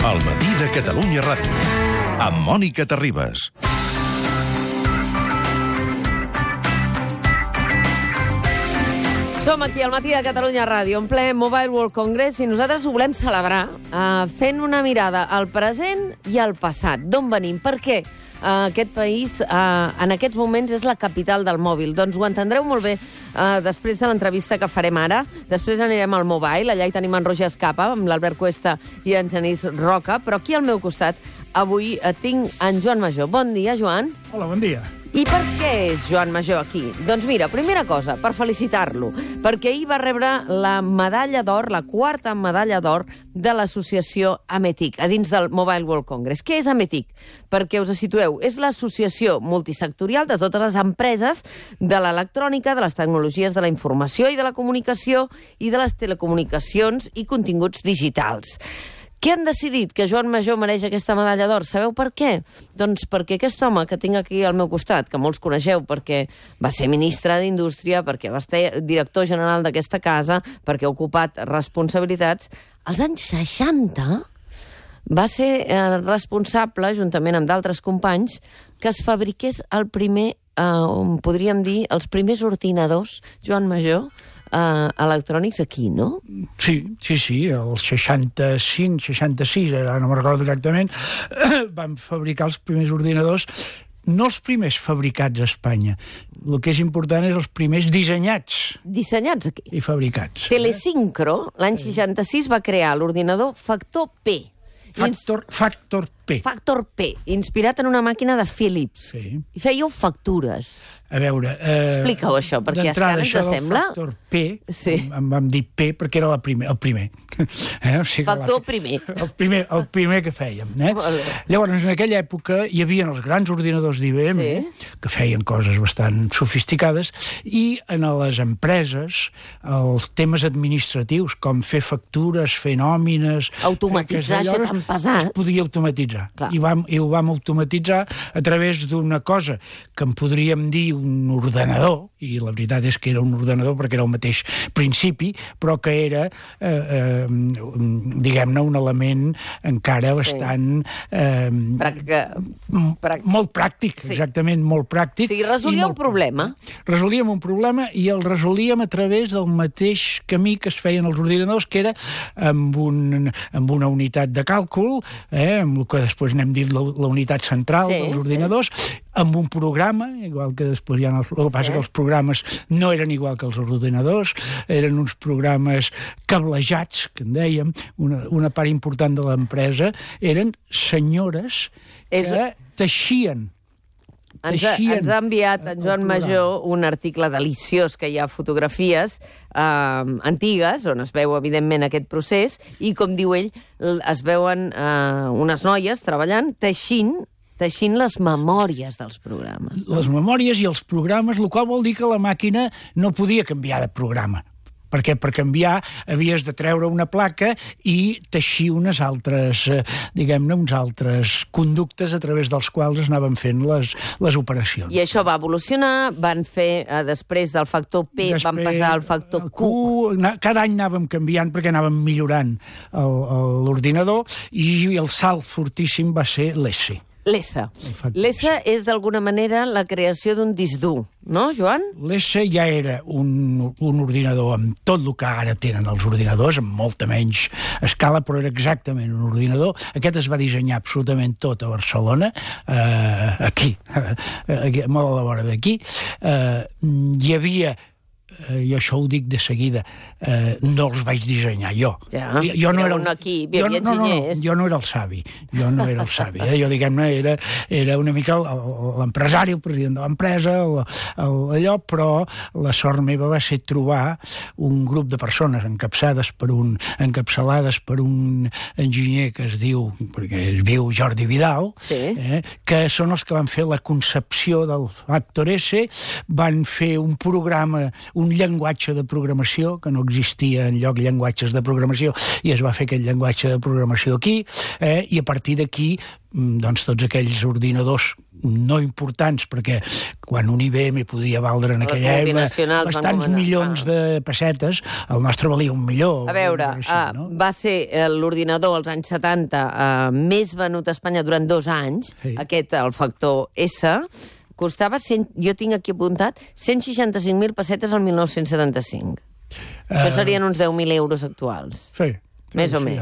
El matí de Catalunya Ràdio, amb Mònica Terribas. Som aquí al matí de Catalunya Ràdio, en ple Mobile World Congress, i nosaltres ho volem celebrar fent una mirada al present i al passat. D'on venim? Per què aquest país en aquests moments és la capital del mòbil? Doncs ho entendreu molt bé després de l'entrevista que farem ara. Després anirem al Mobile, allà hi tenim en Roger Escapa, amb l'Albert Cuesta i en Genís Roca, però aquí al meu costat avui tinc en Joan Majó. Bon dia, Joan. Hola, bon dia. I per què és Joan Majó aquí? Doncs mira, primera cosa, per felicitar-lo, perquè ahir va rebre la medalla d'or, la quarta medalla d'or de l'associació Ametic, a dins del Mobile World Congress. Què és Ametic? Perquè us situeu, és l'associació multisectorial de totes les empreses de l'electrònica, de les tecnologies de la informació i de la comunicació i de les telecomunicacions i continguts digitals. Què han decidit que Joan Majó mereix aquesta medalla d'or? Sabeu per què? Doncs perquè aquest home que tinc aquí al meu costat, que molts coneixeu perquè va ser ministre d'Indústria, perquè va ser director general d'aquesta casa, perquè ha ocupat responsabilitats, als anys 60 va ser responsable, juntament amb d'altres companys, que es fabriqués el primer, podríem dir, els primers ordinadors, Joan Majó, electrònics aquí, no? Sí, el 65, 66, ara no me'n recordo exactament, van fabricar els primers ordinadors, no els primers fabricats a Espanya. El que és important és els primers dissenyats. Dissenyats aquí. I fabricats. Telesincro, l'any 66, va crear l'ordinador Factor P. Factor P. Factor P, inspirat en una màquina de Philips. Sí. I fèieu factures. A veure... Explica-ho, això, perquè és que ara ens sembla... Factor P, sí. em vam dir P perquè era el primer. O sigui, Factor primer. El primer que fèiem. Llavors, en aquella època hi havia els grans ordinadors d'IBM, que feien coses bastant sofisticades, i en les empreses els temes administratius, com fer factures, fer nòmines... Automatitzar això tan pesat. Es podia automatitzar. I ho vam automatitzar a través d'una cosa que en podríem dir un ordenador, i la veritat és que era un ordenador perquè era el mateix principi, però que era, diguem-ne, un element encara bastant... molt pràctic, exactament, molt pràctic. O sigui, resolíem un problema. Resolíem un problema i el resolíem a través del mateix camí que es feien els ordinadors, que era amb una unitat de càlcul, amb el que després n'hem dit la unitat central dels ordinadors, amb un programa, igual que després hi ha... El que passa que els programes no eren igual que els ordinadors, eren uns programes cablejats, que en dèiem, una part important de l'empresa, eren senyores que teixien. Ens ha enviat en Joan Majó un article deliciós, que hi ha fotografies antigues, on es veu, evidentment, aquest procés, i, com diu ell, es veuen unes noies treballant, teixint les memòries dels programes. Les memòries i els programes, el qual vol dir que la màquina no podia canviar de programa. Perquè per canviar havies de treure una placa i teixir unes altres, diguem-ne, uns altres conductes a través dels quals es anaven fent les operacions. I això va evolucionar, van fer, després del factor P, van passar al factor Q. Cada any anàvem canviant perquè anàvem millorant l'ordinador, i el salt fortíssim va ser l'S. L'S. L'S és, d'alguna manera, la creació d'un disc dur, no, Joan? L'S ja era un ordinador amb tot el que ara tenen els ordinadors, amb molta menys escala, però era exactament un ordinador. Aquest es va dissenyar absolutament tot a Barcelona, aquí, molt a la vora d'aquí. Hi havia... i això ho dic de seguida, no els vaig dissenyar jo. Jo no era un equip, hi havia enginyers. Jo no era el savi, jo, diguem-ne, era una mica l'empresari, el president de l'empresa, allò, però la sort meva va ser trobar un grup de persones encapçalades per un enginyer que es diu, perquè es diu Jordi Vidal, que són els que van fer la concepció del Factor S, van fer un programa, un llenguatge de programació, que no existia enlloc llenguatges de programació, i es va fer aquest llenguatge de programació aquí, i a partir d'aquí doncs tots aquells ordinadors no importants, perquè quan un IBM podia valdre en aquella època bastants milions de pessetes, el nostre valia $1 milió. A veure, va ser l'ordinador als anys 70 més venut a Espanya durant 2 anys, aquest, el factor S, costava, jo tinc aquí apuntat, 165.000 pessetes al 1975. Això serien uns 10.000 euros actuals. Sí. Més o menys.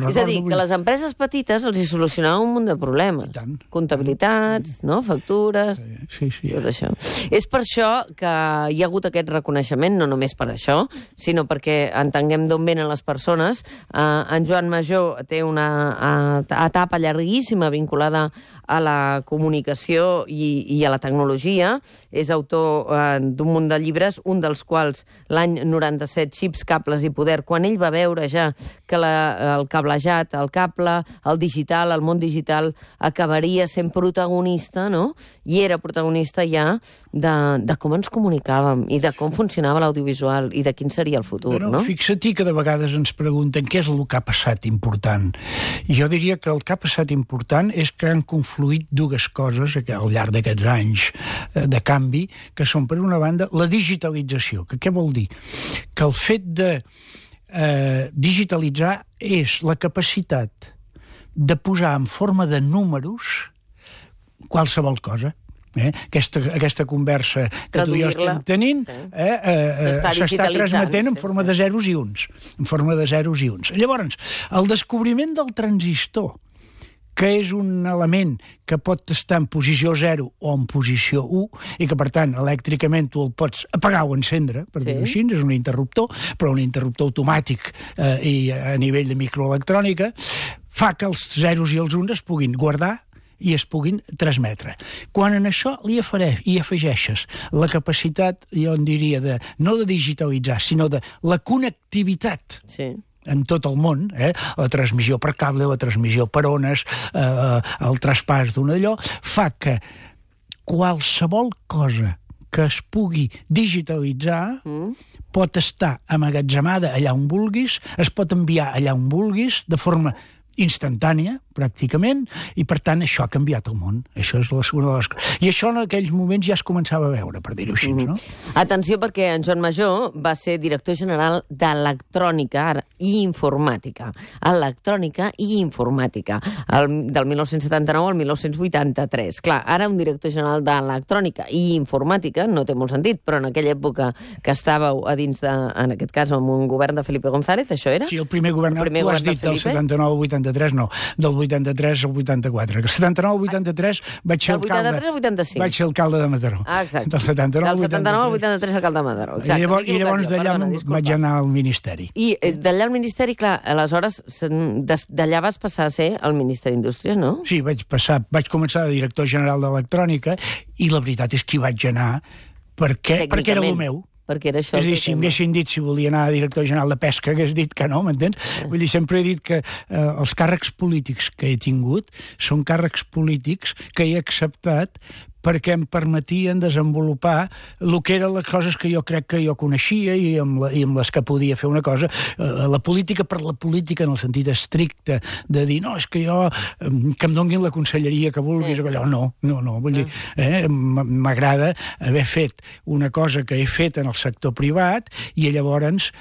És a dir, que les empreses petites els hi solucionaven un munt de problemes. Comptabilitats, no? Factures, tot això. És per això que hi ha hagut aquest reconeixement, no només per això, sinó perquè entenguem d'on venen les persones. En Joan Majó té una etapa llarguíssima vinculada a la comunicació i a la tecnologia. És autor d'un munt de llibres, un dels quals l'any 97, Xips, cables i poder, quan ell va veure ja que el cablejat, el cable, el digital, el món digital acabaria sent protagonista, no? I era protagonista ja de com ens comunicàvem i de com funcionava l'audiovisual i de quin seria el futur, no? Fixa-t'hi que de vegades ens pregunten què és el que ha passat important. Jo diria que el que ha passat important és que han confluït dues coses al llarg d'aquests anys de canvi, que són, per una banda, la digitalització. Que què vol dir? Que el fet de digitalitzar és la capacitat de posar en forma de números qualsevol cosa. Aquesta conversa que tu i jo estem tenint s'està transmetent en forma de zeros i uns. Llavors, el descobriment del transistor, que és un element que pot estar en posició 0 o en posició 1, i que, per tant, elèctricament tu el pots apagar o encendre, per dir-ho així, és un interruptor, però un interruptor automàtic i a nivell de microelectrònica, fa que els zeros i els uns es puguin guardar i es puguin transmetre. Quan en això hi afegeixes la capacitat, jo en diria, no de digitalitzar, sinó de la connectivitat en tot el món, la transmissió per cable, la transmissió per ones, el traspàs d'un allò, fa que qualsevol cosa que es pugui digitalitzar pot estar amagatzemada allà on vulguis, es pot enviar allà on vulguis, de forma instantània, pràcticament, i per tant això ha canviat el món. Això és una de les coses. I això en aquells moments ja es començava a veure, per dir-ho així, no? Atenció, perquè en Joan Majó va ser director general d'Electrònica i Informàtica. Electrònica i Informàtica, del 1979 al 1983. Clar, ara un director general d'Electrònica i Informàtica no té molt sentit, però en aquella època que estàveu a dins de, en aquest cas, amb un govern de Felipe González, això era? Sí, el primer govern, tu has dit del 79 al 83, no, del 83 al 84. El 79 al 83 vaig ser alcalde... Del 83 al 85. Vaig ser alcalde de Mataró. Ah, exacte. Del 79 al 83 alcalde de Mataró. Exacte. I llavors d'allà vaig anar al Ministeri. I d'allà al Ministeri, clar, aleshores d'allà vas passar a ser el Ministre d'Indústries, no? Sí, vaig començar de director general d'Electrònica i la veritat és que hi vaig anar perquè era el meu. Perquè era això. És a dir, si m'haguessin dit si volia anar a director general de Pesca, hagués dit que no, m'entens? Vull dir, sempre he dit que els càrrecs polítics que he tingut són càrrecs polítics que he acceptat perquè em permetien desenvolupar el que eren les coses que jo crec que jo coneixia i amb les que podia fer una cosa. La política per la política en el sentit estricte de dir, no, és que jo, que em donguin la conselleria que vulguis, allò, no, vull dir, m'agrada haver fet una cosa que he fet en el sector privat i llavors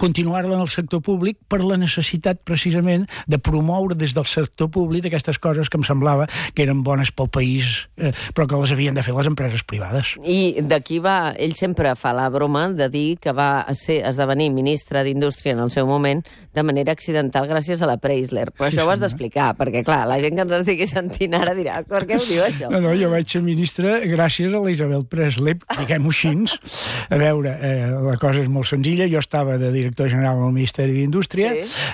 continuar-la en el sector públic per la necessitat, precisament, de promoure des del sector públic aquestes coses que em semblava que eren bones pel país, però que les havien de fer les empreses privades. I d'aquí va... Ell sempre fa la broma de dir que va esdevenir ministre d'Indústria en el seu moment de manera accidental gràcies a la Preisler. Però això ho has d'explicar, perquè, clar, la gent que ens estigui sentint ara dirà, per què ho diu, això? No, jo vaig ser ministre gràcies a la Isabel Presley, diguem-ho així. A veure, la cosa és molt senzilla. Jo estava de director general del Ministeri d'Indústria,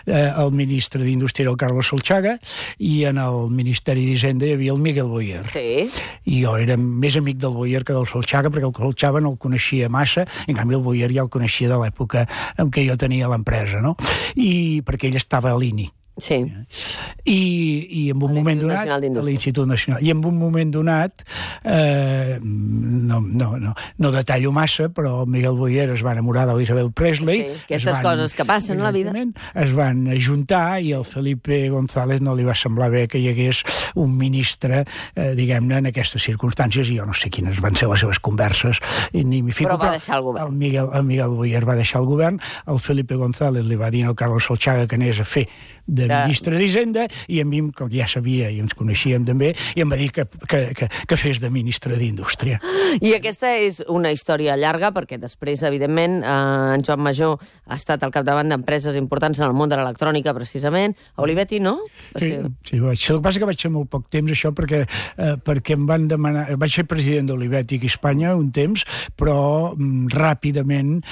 el ministre d'Indústria era el Carlos Solchaga, i en el Ministeri d'Hisenda hi havia el Miguel Boyer. Sí. I jo era més amic del Boyer que del Solchaga, perquè el Solchaga no el coneixia massa, en canvi el Boyer ja el coneixia de l'època en què jo tenia l'empresa, no? I perquè ell estava a l'INI. Sí. I en un moment donat... L'Institut Nacional. I en un moment donat, no detallo massa, però Miguel Boyer es va enamorar d'Isabel Presley. Sí, aquestes coses que passen a la vida. Es van ajuntar i el Felipe González no li va semblar bé que hi hagués un ministre, diguem-ne, en aquestes circumstàncies, i jo no sé quines van ser les seves converses, ni m'hi fico. Però va deixar el govern. El Miguel Boyer va deixar el govern, el Felipe González li va dir al Carlos Solchaga que anés a fer de ministre d'Hisenda, i a mi, com ja sabia i ens coneixíem també, i em va dir que fes de ministre d'Indústria. I aquesta és una història llarga, perquè després, evidentment, en Joan Majó ha estat al capdavant d'empreses importants en el món de l'electrònica, precisament. A Olivetti, no? Sí, el que passa que vaig ser molt poc temps, això, perquè em van demanar... Vaig ser president d'Olivetti aquí a Espanya un temps, però ràpidament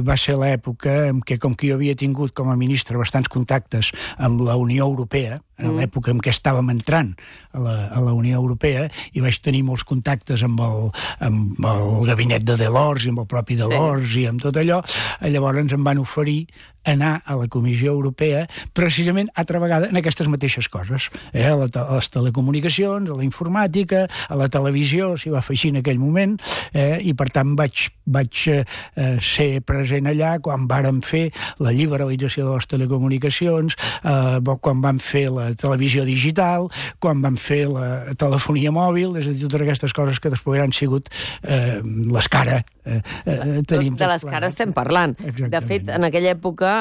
va ser l'època en què, com que jo havia tingut com a ministre bastants contactes amb la Unió Europea, en l'època en què estàvem entrant a la Unió Europea, i vaig tenir molts contactes amb el gabinet de Delors i amb el propi Delors i amb tot allò, llavors em van oferir anar a la Comissió Europea precisament altra vegada en aquestes mateixes coses, a les telecomunicacions, a la informàtica, a la televisió, s'hi va fer així en aquell moment, i per tant vaig ser present allà quan vàrem fer la liberalització de les telecomunicacions, quan vam fer la televisió digital, quan vam fer la telefonia mòbil, és a dir, totes aquestes coses que després han sigut les cares. De les cares estem parlant. Exactament. De fet, en aquella època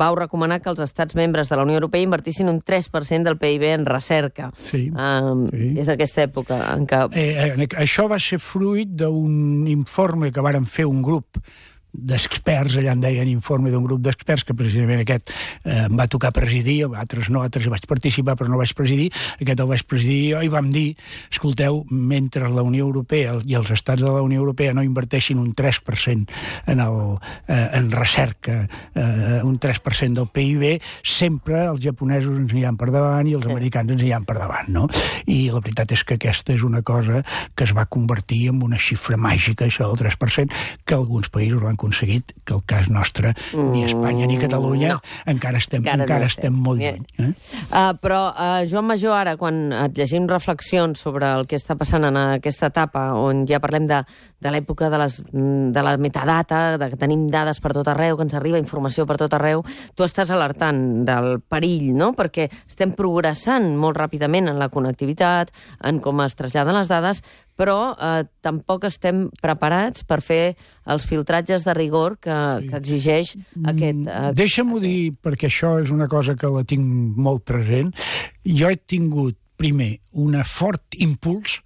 vau recomanar que els estats membres de la Unió Europea invertissin un 3% del PIB en recerca. Sí. És aquesta època en què... Això va ser fruit d'un informe que varen fer un grup d'experts, allà en deien informe d'un grup d'experts, que precisament aquest em va tocar presidir, altres no, altres hi vaig participar però no vaig presidir, aquest el vaig presidir jo, i vam dir, escolteu, mentre la Unió Europea i els estats de la Unió Europea no inverteixin un 3% en recerca, un 3% del PIB, sempre els japonesos ens aniran per davant i els americans ens aniran per davant, no? I la veritat és que aquesta és una cosa que es va convertir en una xifra màgica, això del 3%, que alguns països l'han aconseguit, que el cas nostre, ni Espanya ni Catalunya, encara estem molt lluny. Però, Joan Majó, ara, quan et llegim reflexions sobre el que està passant en aquesta etapa, on ja parlem de l'època de la metadata, que tenim dades per tot arreu, que ens arriba informació per tot arreu, tu estàs alertant del perill, no? Perquè estem progressant molt ràpidament en la connectivitat, en com es traslladen les dades, però tampoc estem preparats per fer els filtratges de rigor que exigeix aquest... Deixa-m'ho dir, perquè això és una cosa que la tinc molt present. Jo he tingut, primer, un fort impuls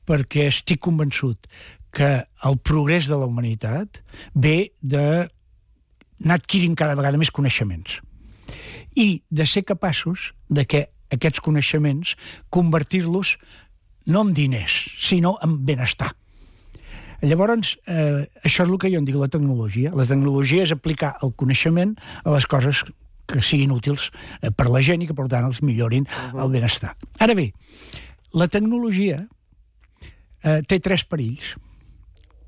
perquè estic convençut que el progrés de la humanitat ve d'anar adquirint cada vegada més coneixements i de ser capaços de que aquests coneixements convertir-los no en diners, sinó en benestar. Llavors, això és el que jo en dic la tecnologia. La tecnologia és aplicar el coneixement a les coses que siguin útils per la gent i que, per tant, els millorin el benestar. Ara bé, la tecnologia té tres perills.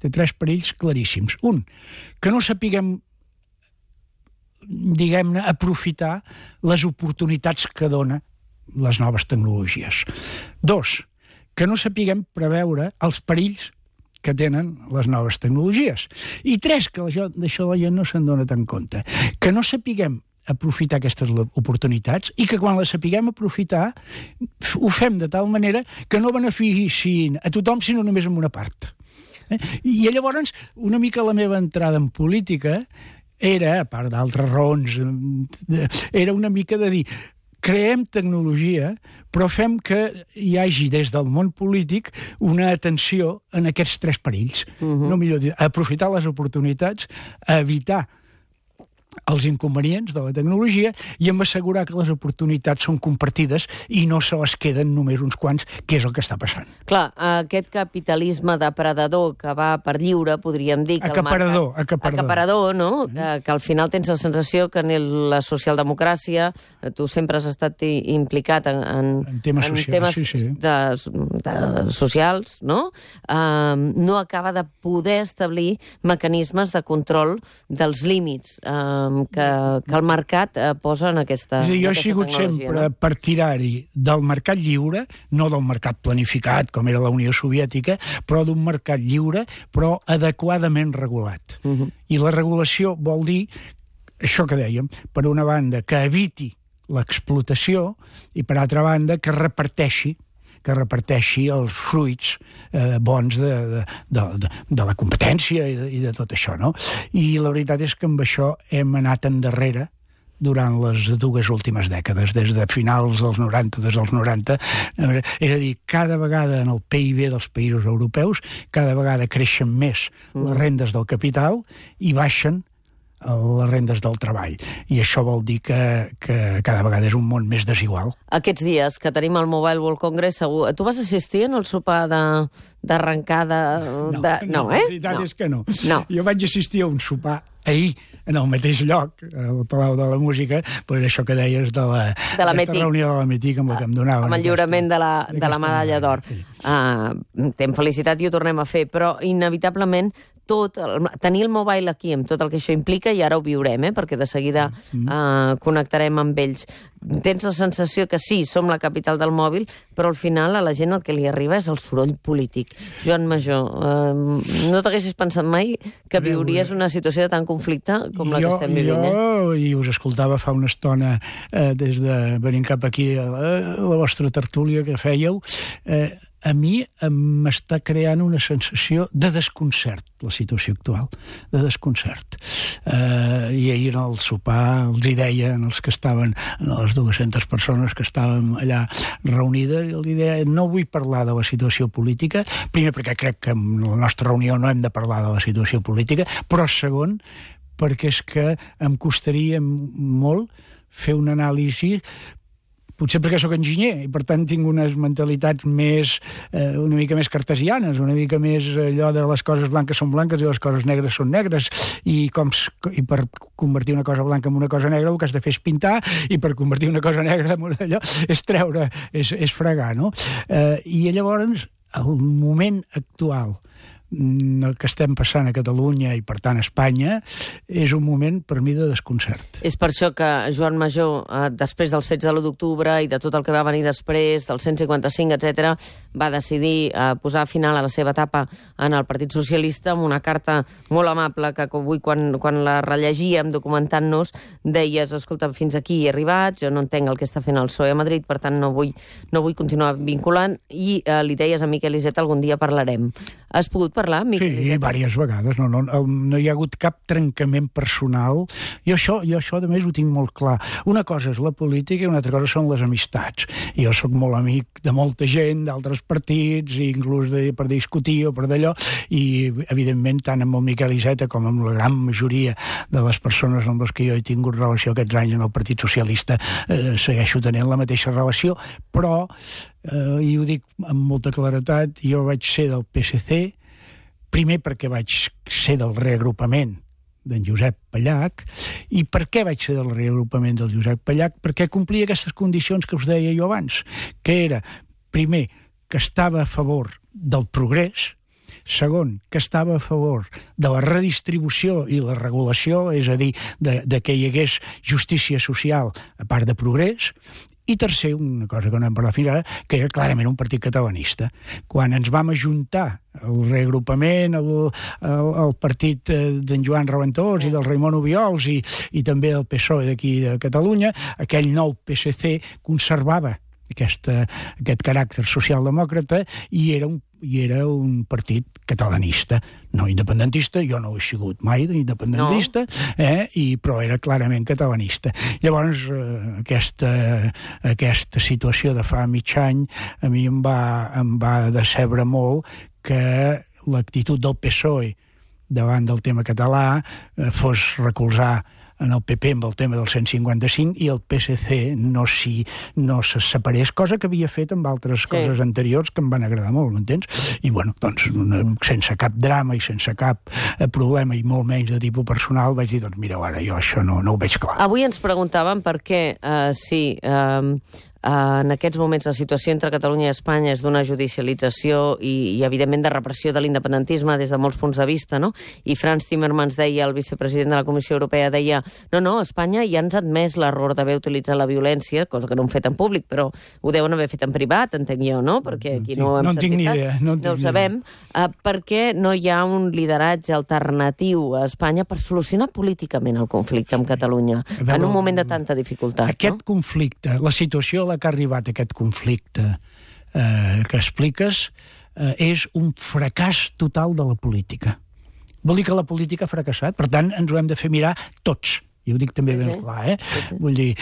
Té tres perills claríssims. Un, que no sapiguem, diguem-ne, aprofitar les oportunitats que dona les noves tecnologies. Dos, que no sapiguem preveure els perills que tenen les noves tecnologies. I tres, que d'això la gent no se'n dona tant compte, que no sapiguem aprofitar aquestes oportunitats i que quan les sapiguem aprofitar ho fem de tal manera que no beneficiïn a tothom sinó només en una part. I llavors una mica la meva entrada en política era, a part d'altres raons, era una mica de dir creem tecnologia, però fem que hi hagi des del món polític una atenció en aquests tres perills. No millor dir, aprofitar les oportunitats, evitar els inconvenients de la tecnologia i em assegurar que les oportunitats són compartides i no se les queden només uns quants, que és el que està passant. Clar, aquest capitalisme depredador que va per lliure, podríem dir... Que acaparador, no? Que al final tens la sensació que en la socialdemocràcia tu sempre has estat implicat en temes socials, no? No acaba de poder establir mecanismes de control dels límits que el mercat posa en aquesta tecnologia. Jo he sigut sempre partidari del mercat lliure, no del mercat planificat, com era la Unió Soviètica, però d'un mercat lliure, però adequadament regulat. I la regulació vol dir, això que dèiem, per una banda, que eviti l'explotació i, per altra banda, que reparteixi els fruits bons de la competència i de tot això, no? I la veritat és que amb això hem anat endarrere durant les 2 últimes dècades, des de finals dels 90, des dels 90. És a dir, cada vegada en el PIB dels països europeus, cada vegada creixen més les rendes del capital i baixen les rendes del treball. I això vol dir que cada vegada és un món més desigual. Aquests dies que tenim el Mobile World Congress, segur... Tu vas assistir en el sopar d'arrencada? No, la veritat és que no. Jo vaig assistir a un sopar ahir, en el mateix lloc, al Palau de la Música, per això que deies de la reunió de la Metic amb la que em donaven. Amb el lliurament de la medalla d'or. T'hem felicitat i ho tornem a fer, però inevitablement tenir el mobile aquí amb tot el que això implica, i ara ho viurem, perquè de seguida connectarem amb ells. Tens la sensació que sí, som la capital del mòbil, però al final a la gent el que li arriba és el soroll polític. Joan Majó, no t'haguessis pensat mai que viuries una situació de tant conflicte com la que estem vivint? Jo, i us escoltava fa una estona des de venint cap aquí a la vostra tertúlia que fèieu, a mi m'està creant una sensació de desconcert, la situació actual, de desconcert. I ahir en el sopar els hi deia, els que estaven, les 200 persones que estàvem allà reunides, i els hi deia, no vull parlar de la situació política, primer perquè crec que en la nostra reunió no hem de parlar de la situació política, però segon, perquè és que em costaria molt fer una anàlisi, potser perquè sóc enginyer i per tant tinc unes mentalitats una mica més cartesianes, una mica més allò de les coses blanques són blanques i les coses negres són negres, i per convertir una cosa blanca en una cosa negra el que has de fer és pintar, i per convertir una cosa negra en allò és treure, és fregar, no? I llavors el moment actual el que estem passant a Catalunya i, per tant, a Espanya, és un moment, per mi, de desconcert. És per això que Joan Majó, després dels fets de l'1 d'octubre i de tot el que va venir després, del 155, etc., va decidir posar final a la seva etapa en el Partit Socialista amb una carta molt amable que avui, quan la rellegíem documentant-nos, deies, escolta, fins aquí he arribat, jo no entenc el que està fent el PSOE a Madrid, per tant no vull continuar vinculant, i li deies a Miquel Iceta, algun dia parlarem. Has pogut parlar, Miquel Iceta? Sí, diverses vegades. No hi ha hagut cap trencament personal. Jo això, a més, ho tinc molt clar. Una cosa és la política i una altra cosa són les amistats. Jo sóc molt amic de molta gent, d'altres partits, inclús per discutir o per d'allò, i, evidentment, tant amb el Miquel Iceta com amb la gran majoria de les persones amb les que jo he tingut relació aquests anys en el Partit Socialista, segueixo tenint la mateixa relació, però, i ho dic amb molta claretat, jo vaig ser del PSC, primer perquè vaig ser del reagrupament d'en Josep Pallach. I per què vaig ser del reagrupament del Josep Pallach? Perquè complia aquestes condicions que us deia jo abans, que era, primer, que estava a favor del progrés, segon, que estava a favor de la redistribució i la regulació, és a dir, de que hi hagués justícia social a part de progrés, i tercer, una cosa que no hem parlat fins ara, que era clarament un partit catalanista. Quan ens vam ajuntar el reagrupament, el partit d'en Joan Raventós i del Raimon Obiols i també el PSOE d'aquí de Catalunya, aquell nou PSC conservava aquest caràcter socialdemòcrata i era un partit catalanista, no independentista. Jo no ho he sigut mai d'independentista, però era clarament catalanista. Llavors, aquesta situació de fa mig any a mi em va decebre molt que l'actitud del PSOE davant del tema català fos recolzar en el PP amb el tema del 155 i el PSC no se separés, cosa que havia fet amb altres coses anteriors que em van agradar molt, m'entens? I, bueno, doncs, sense cap drama i sense cap problema i molt menys de tipus personal, vaig dir, doncs, mira, ara jo això no ho veig clar. Avui ens preguntàvem per què, En aquests moments la situació entre Catalunya i Espanya és d'una judicialització i evidentment, de repressió de l'independentisme des de molts punts de vista, no? I Frans Timmermans deia, el vicepresident de la Comissió Europea deia, no, Espanya ja ens ha admès l'error d'haver utilitzat la violència, cosa que no han fet en públic, però ho deuen haver fet en privat, entenc jo, no? Perquè aquí no ho hem sentit. No ho sabem. Perquè no hi ha un lideratge alternatiu a Espanya per solucionar políticament el conflicte amb Catalunya, en un moment de tanta dificultat. Aquest conflicte, la situació a la que ha arribat aquest conflicte que expliques, és un fracàs total de la política. Vol dir que la política ha fracassat, per tant, ens ho hem de fer mirar tots. I ho dic també ben clar, Vull dir,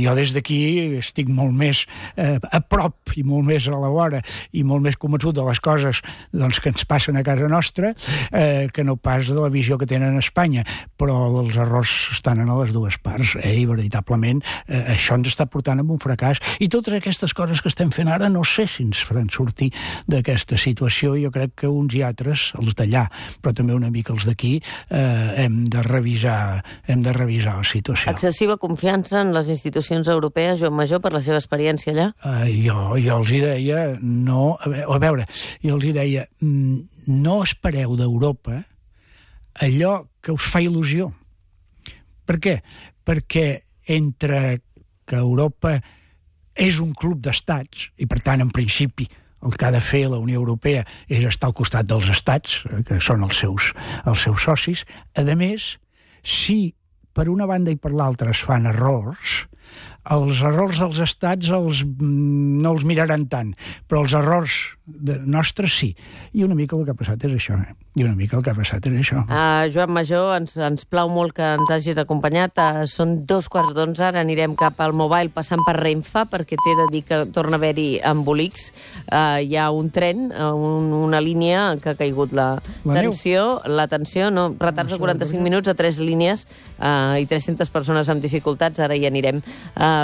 jo des d'aquí estic molt més a prop i molt més a la vora i molt més convençut de les coses que ens passen a casa nostra que no pas de la visió que tenen a Espanya. Però els errors estan a les dues parts, i veritablement això ens està portant a un fracàs. I totes aquestes coses que estem fent ara no sé si ens faran sortir d'aquesta situació. Jo crec que uns i altres, els d'allà, però també una mica els d'aquí, hem de revisar la situació. Excessiva confiança en les institucions europees, Joan Majó, per la seva experiència allà? Jo els hi deia, no espereu d'Europa allò que us fa il·lusió. Per què? Perquè entre que Europa és un club d'estats, i per tant, en principi, el que ha de fer la Unió Europea és estar al costat dels estats, que són els seus socis. A més, si per una banda i per l'altra es fan errors, els errors dels estats no els miraran tant, però els errors nostres sí. I una mica el que ha passat és això. Joan Majó, ens plau molt que ens hagis acompanyat. Són 11:15, ara anirem cap al Mobile passant per Renfe, perquè t'he de dir que torna a haver-hi embolics. Hi ha un tren, una línia que ha caigut la tensió, retards de 45 minuts a 3 línies i 300 persones amb dificultats, ara hi anirem.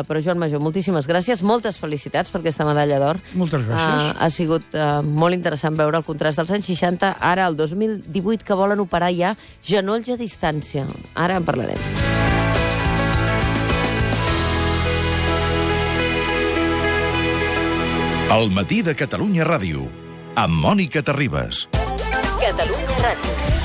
Però Joan Majó, moltíssimes gràcies, moltes felicitats per aquesta medalla d'or. Moltes gràcies. Ha sigut molt interessant veure el contrast dels anys 60, ara el 2018, que volen operar ja genolls a distància. Ara en parlarem. El matí de Catalunya Ràdio, amb Mònica Terribas. Catalunya Ràdio.